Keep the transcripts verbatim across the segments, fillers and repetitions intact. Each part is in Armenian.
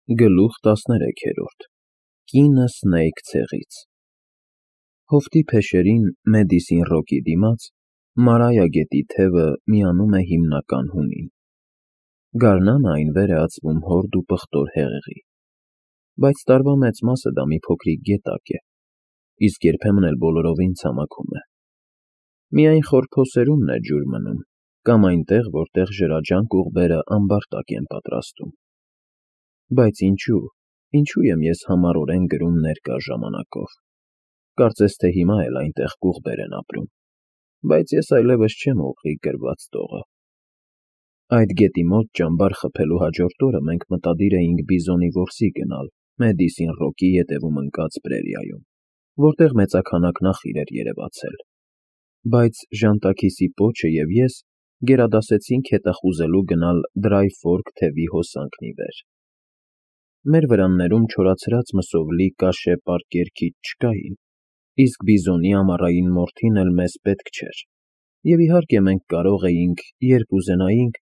Գլուխ տասներեքերորդ Կինը Սնեյք ցեղից Հովտի փեշերին Մեդիսին Ռոքի դիմաց Մարայա գետի թևը միանում է հիմնական հունին։ Գարնանը այն վեր է ածվում հորդ ու պղտոր հեղեղի, բայց տարվա մեծ մասը դա մի փոքրիկ գետակ է, իսկ երբեմն էլ բոլորովին ցամաքում է։ Միայն խոր փոսերումն է ջուր մնում, կամ այնտեղ, որտեղ ջրաջանք ուղբերը ամբարտակ են պատրաստում։ Բայց ինչու, ինչու եմ ես համառորեն գրում ներկա ժամանակով։ Կարծես թե հիմա էլ այնտեղ կուղբեր են ապրում, բայց ես այլևս չեմ ուղիղ գրված տողը։ Այդ գետի մոտ ճամբար խփելու հաջորդ օրը մենք մտադիր էինք բիզոնի որսի գնալ Մեդիսին Ռոքի ետևում ընկած պրերիայում, որտեղ մեծաքանակ նախիր էր երևացել։ Բայց Ժանտաքիսի պոչը և ես գերադասեցինք հետախուզելու գնալ Դրայ Ֆորք թևի հոսանքն ի վեր։ Մեր վրաններում չորացած մսով լի կաշե պարկեր քիչ չկային, իսկ բիզոնի ամառային մորթին էլ մեզ պետք չէր, և իհարկե մենք կարող էինք, երբ ուզենայինք,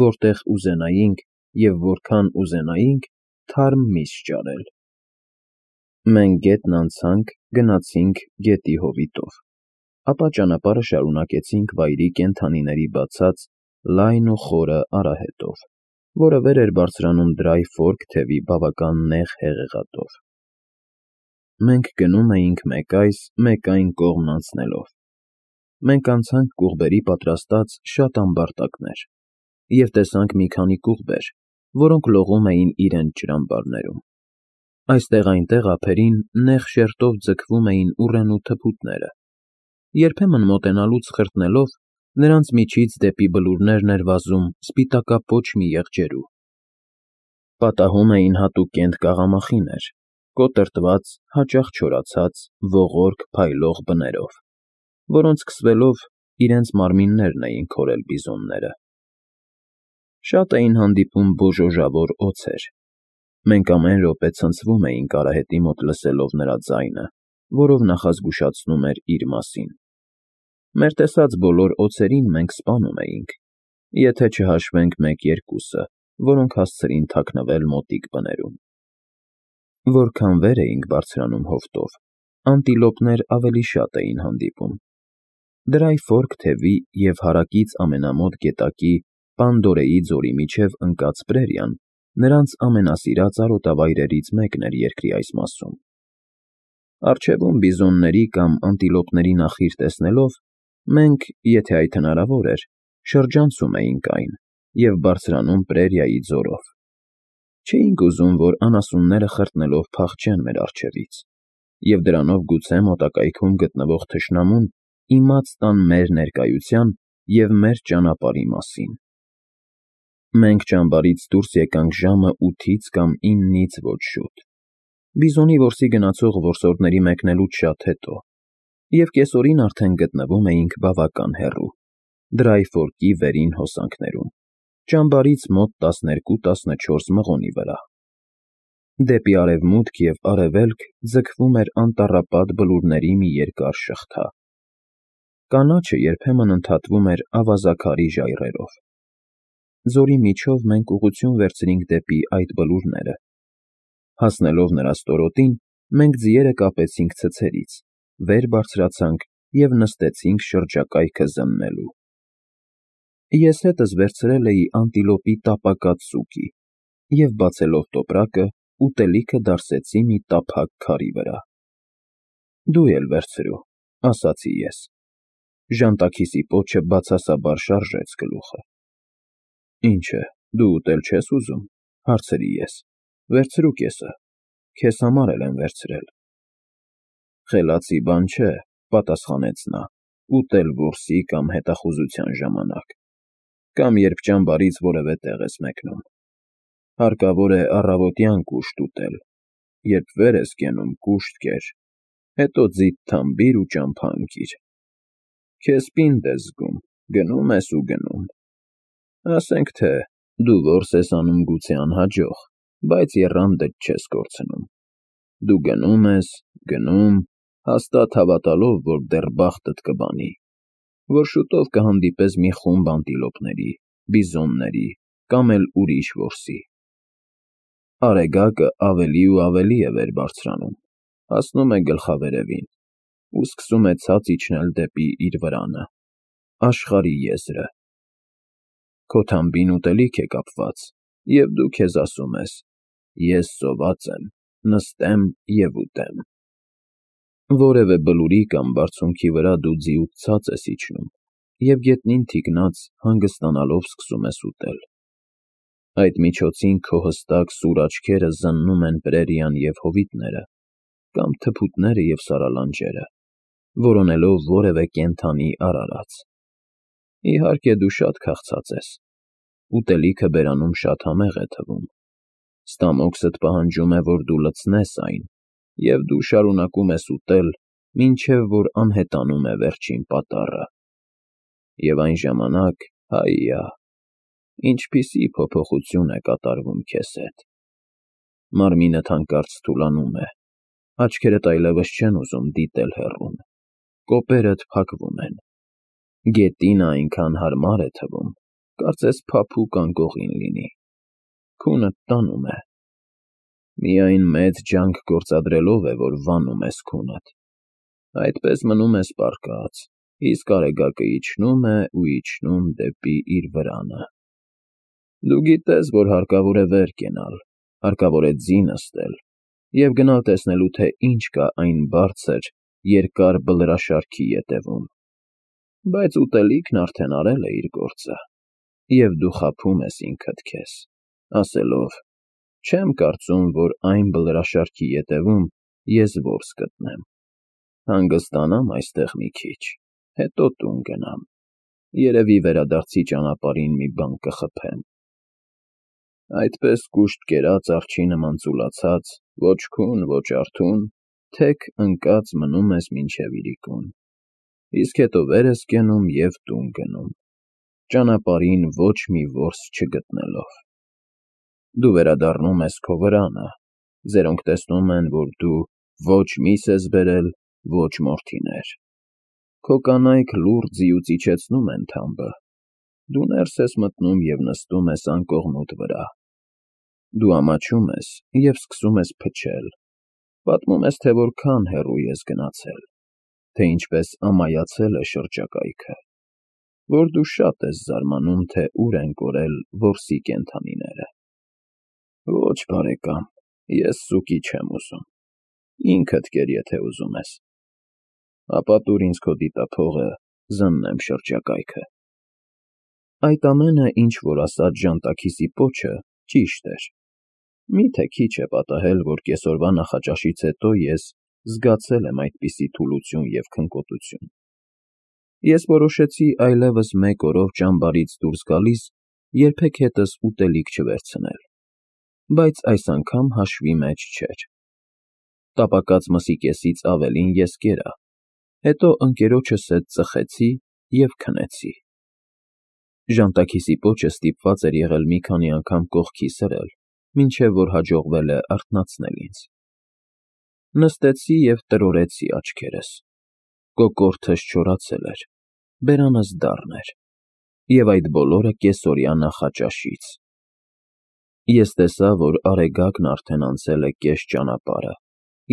որտեղ ուզենայինք և որքան ուզենայինք, թարմ միս ճարել։ Մենք գետն անցանք, գնացինք գետի հովիտով, ապա ճանապարհը շարունակեցինք վայրի կենդանիների բացած լայն ու խորը արահետով, որը վեր էր բարձրանում Դրայ Ֆորք թևի բավական նեղ հեղեղատով։ Մենք գնում էինք մեկ այս, մեկ այն կողմն անցնելով։ Մենք անցանք կուղբերի պատրաստած շատ ամբարտակներ և տեսանք մի քանի կուղբեր, որոնք լողում էին իրենց ջրամբարներում։ Այստեղ-այնտեղ ափերին նեղ շերտով ձգվում էին ուռենու թփուտները, երբեմն մոտենալուց խրտնելով, նրանց միջից դեպի բլուրներն էր վազում սպիտակապոչ մի եղջերու։ Պատահում էին հատուկ կենտ կաղամախիներ, կոտրտված, հաճախ չորացած, ողորկ փայլող բներով, որոնց սկսվելով իրենց մարմիններն էին քորել բիզոնները։ Շատ էին հանդիպում բոժոժավոր օձեր։ Մենք ամեն րոպե ցնցվում էինք արահետի մոտ լսելով նրա ձայնը, որով նախազգուշացնում էր իր մասին։ Մեր տեսած բոլոր օձերին մենք սպանում էինք, եթե չհաշվենք մեկ֊երկուսը, որոնք հասցրին թաքնվել մոտիկ բներում։ Որքան վեր էինք բարձրանում հովտով, անտիլոպներ ավելի շատ էին հանդիպում։ Դրայ Ֆորք թևի և հարակից ամենամոտ գետակի Պանդորեի ձորի միջև ընկած պրերիան նրանց ամենասիրած արոտավայրերից մեկն էր երկրի այս մասում։ Առջևում բիզոնների կամ անտիլոպների նախիր տեսնելով, մենք, եթե այդ հնարավոր էր, շրջանցում էինք այն և բարձրանում պրերիայի ձորով։ Չէինք ուզում, որ անասունները խրտնելով փախչեն մեր առջևից, և դրանով գուցե մոտակայքում գտնվող թշնամուն իմաց տան մեր ներկայության և մեր ճանապարհի մասին։ Մենք ճամբարից դուրս եկանք ժամը ութից կամ իննից ոչ շուտ, բիզոնի որսի գնացող որսորդների մեկնելուց շատ հետո, և կեսօրին արդեն գտնվում էինք բավական հեռու, Դրայ Ֆորքի վերին հոսանքներում, ճամբարից մոտ տասներկու֊տասնչորս մղոնի վրա։ Դեպի արևմուտք և արևելք ձգվում էր անտառապատ բլուրների մի երկար շղթա։ Կանաչը երբեմն ընդհատվում էր ավազաքարի ժայռերով։ Ձորի միջով մենք ուղղություն վերցրինք դեպի այդ բլուրները։ Հասնելով նրա ստորոտին, մենք ձիերը կապեցինք ցցերից, վեր բարձրացանք և նստեցինք շրջակայքը զննելու։ Ես հետս վերցրել էի անտիլոպի տապակած սուկի և, բացելով տոպրակը, ուտելիքը դարսեցի մի տափակ քարի վրա։ Դու էլ վերցրու, ասացի ես։ Ժանտաքիսի պոչը բացասաբար շարժեց գլուխը։ Ինչ է, դու ուտել չես ուզում, հարցրի ես։ Վերցրու կեսը, քեզ համար էլ եմ վերցրել։ Խելացի բան չէ, պատասխանեց նա, ուտել որսի կամ հետախուզության ժամանակ, կամ երբ ճամբարից որևէ տեղ ես մեկնում։ Հարկավոր է առավոտյան կուշտ ուտել, երբ վեր ես կենում կուշտ կեր, հետո ձիթ թամբիր ու ճամփա ընկիր։ Քեզ պինդ ես զգում, գնում ես ու գնում։ Ասենք թե դու որս ես անում գուցե անհաջող, բայց եռանդդ չես կորցնում։ Դու գնում ես, գնում, հաստատ հավատալով, որ դեռ բախտդ կբանի, որ շուտով կհանդիպես մի խումբ անտիլոպների, բիզոնների կամ էլ ուրիշ որսի։ Արեգակը ավելի ու ավելի է վեր բարձրանում, հասնում է գլխավերևին ու սկսում է ցած իջնել դեպի իր վրանը, աշխարհի եզրը։ Քո թամբին ուտելիք է կապված, և դու քեզ ասում ես. ես սոված եմ, նստեմ և ուտեմ։ Որևէ բլուրի կամ բարձունքի վրա դու ձիուց ցած ես իջնում և գետնին թիկնած հանգստանալով սկսում ես ուտել։ Այդ միջոցին քո հստակ սուր աչքերը զննում են պրերիան և հովիտները, կամ թփուտները և սարալանջերը, որոնելով որևէ կենդանի արարած։ Իհարկե, դու շատ քաղցած ես, ուտելիքը բերանում շատ համեղ է թվում, ստամոքսդ պահանջում է, որ դու լցնես այն, և դու շարունակում ես ուտել, մինչև որ անհետանում է վերջին պատառը։ Եվ այն ժամանակ, հայա, ինչպիսի փոփոխություն է կատարվում քեզ հետ։ Մարմինդ հանկարծ թուլանում է, աչքերդ այլևս չեն ուզում դիտել հեռուն, կոպերդ փակվում են, գետինը այնքան հարմար է թվում, կարծես փափուկ անկողին լինի, քունդ տանում է։ Միայն մեծ ջանք գործադրելով է, որ վանում ես քունդ։ Այդպես մնում ես պառկած, իսկ Արեգակը իջնում է ու իջնում դեպի իր վրանը։ Դու գիտես, որ հարկավոր է վեր կենալ, հարկավոր է ձի նստել և գնալ տեսնելու, թե ինչ կա այն բարձր, երկար բլրաշարքի ետևում, բայց ուտելիքն արդեն արել է իր գործը, և դու խաբում ես ինքդ քեզ, ասելով. չեմ կարծում, որ այն բլրաշարքի ետևում ես որս գտնեմ, հանգստանամ այստեղ մի քիչ, հետո տուն գնամ, երևի վերադարձի ճանապարհին մի բան կխփեմ։ Այդպես կուշտ կերած արջի նման ծուլացած, ոչ քուն, ոչ արթուն, թեք ընկած մնում ես մինչև իրիկուն, իսկ հետո վեր ես կենում և տուն գնում, ճանապարհին ոչ մի որս չգտնելով։ Դու վերադառնում ես քո վրանը, ձերոնք տեսնում են, որ դու ոչ միս ես բերել, ոչ մորթիներ։ Քո կանայք լուռ ձիուց իջեցնում են թամբը, դու ներս ես մտնում և նստում ես անկողնուդ վրա։ Դու ամաչում ես և սկսում ես փչել, պատմում ես, թե որքան հեռու ես գնացել, թե ինչպես ամայացել է շրջակայքը, որ դու շատ ես զարմանում, թե ուր են կորել որսի կենդանիները։ Ոչ, բարեկամ, ես սուկի չեմ ուզում, ինքդ կեր, եթե ուզում ես, ապա տուր ինձ քո դիտափողը, զննեմ շրջակայքը։ Այդ ամենը, ինչ որ ասաց Ժանտաքիսի պոչը, ճիշտ էր։ Մի՞թե քիչ է պատահել, որ կեսօրվա նախաճաշից հետո ես զգացել եմ այդպիսի թուլություն և քնկոտություն։ Ես որոշեցի այլևս մեկ օրով ճամբարից դուրս գալիս երբեք հետս ուտելիք չվերցնել, բայց այս անգամ հաշվի մեջ չէր։ Տապակած մսի կեսից ավելին ես կերա, հետո ընկերոջս հետ ծխեցի և քնեցի։ Ժանտաքիսի պոչը ստիպված էր եղել մի քանի անգամ կողքի սրել, մինչև որ հաջողվել է արթնացնել ինձ։ Նստեցի և տրորեցի աչքերս, կոկորդս չորացել էր, բերանս դառն էր, և այդ բոլորը կեսօրյա նախաճաշից։ Ես տեսա, որ Արեգակն արդեն անցել է կես ճանապարհը,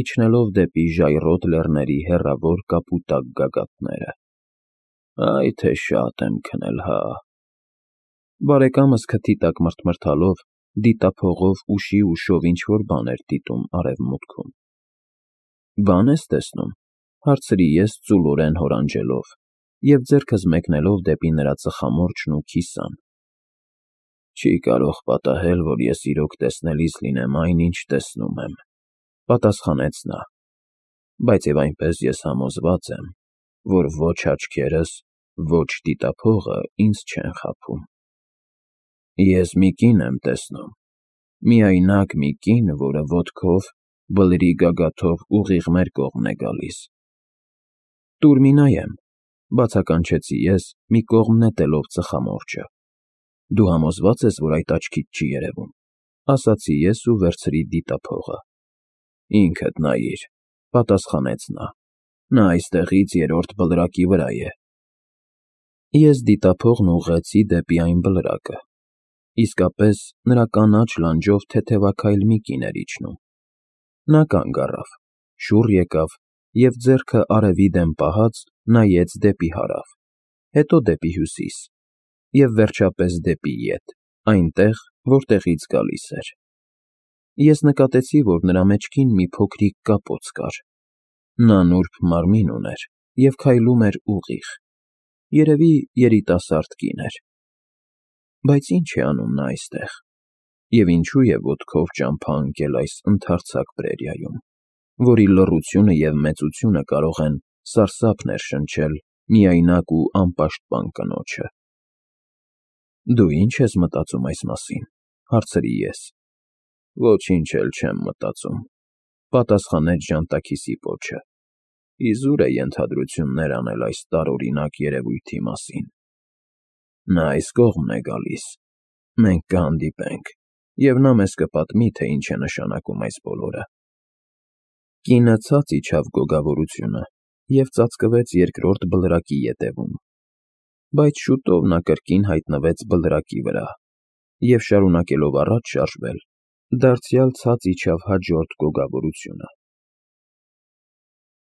իջնելով դեպի ժայռոտ լեռների հեռավոր կապուտակ գագաթները։ Այ թե շատ եմ քնել, հա… Բարեկամս քթի տակ մրթմրթալով դիտափողով ուշի ուշով ինչ֊որ բան էր դիտում արևմուտքում։ Բա՞ն ես տեսնում, հարցրի ես ծուլորեն հորանջելով և ձեռքս մեկնելով դեպի նրա ծխամորճն ու քիսան։ Չի կարող պատահել, որ ես իրոք տեսնելիս լինեմ այն, ինչ տեսնում եմ, պատասխանեց նա, բայց և այնպես ես համոզված եմ, որ ոչ աչքերս, ոչ դիտափողը ինձ չեն խաբում։ Ես մի կին եմ տեսնում, միայնակ մի կին, որը ոտքով, բլրի գագաթով ուղիղ մեր կողմն է գալիս։ Տուր մի նայեմ, բացականչեցի ես, մի կողմ նետելով ծխամորճը։ Դու համոզվա՞ծ ես, որ այդ աչքիդ չի երևում, ասացի ես ու վերցրի դիտափողը։ Ինքդ նայիր, պատասխանեց նա, նա այստեղից երրորդ բլրակի վրա է։ Ես դիտափողն ուղղեցի դեպի այն բլրակը։ Իսկապես, նրա կանաչ լանջով թեթևաքայլ մի կին էր իջնում։ Նա կանգ առավ, շուռ եկավ և, ձեռքը արևի դեմ պահած, նայեց դեպի հարավ, հետո դեպի հյուսիս և, վերջապես, դեպի ետ, այնտեղ, որտեղից գալիս էր։ Ես նկատեցի, որ նրա մեջքին մի փոքրիկ կապոց կար։ Նա նուրբ մարմին ուներ և քայլում էր ուղիղ, երևի երիտասարդ կին էր։ Բայց ի՞նչ է անում նա այստեղ, և ինչու է ոտքով ճամփա ընկել այս ընդարձակ պրերիայում, որի լռությունը և մեծությունը կարող են սարսափ ներշնչել միայնակ ու անպաշտպան կնոջը։ ֊ Դու ի՞նչ ես մտածում այս մասին,֊ հարցրի ես։ ֊ Ոչինչ էլ չեմ մտածում,֊ պատասխանեց ժանտաքիսի պոչը։ Իզուր է ենթադրություններ անել այս տարօրինակ երևույթի մասին։ Նա այս կողմն է գալիս, մենք կհանդիպենք, և նա մեզ կպատմի, թե ինչ է նշանակում այս բոլորը։ Կինը ցած իջավ գոգավորությունը և ծածկվեց երկրորդ բլրակի ետևում, բայց շուտով նա կրկին հայտնվեց բլրակի վրա և, շարունակելով առաջ շարժվել, դարձյալ ցած իջավ հաջորդ գոգավորությունը։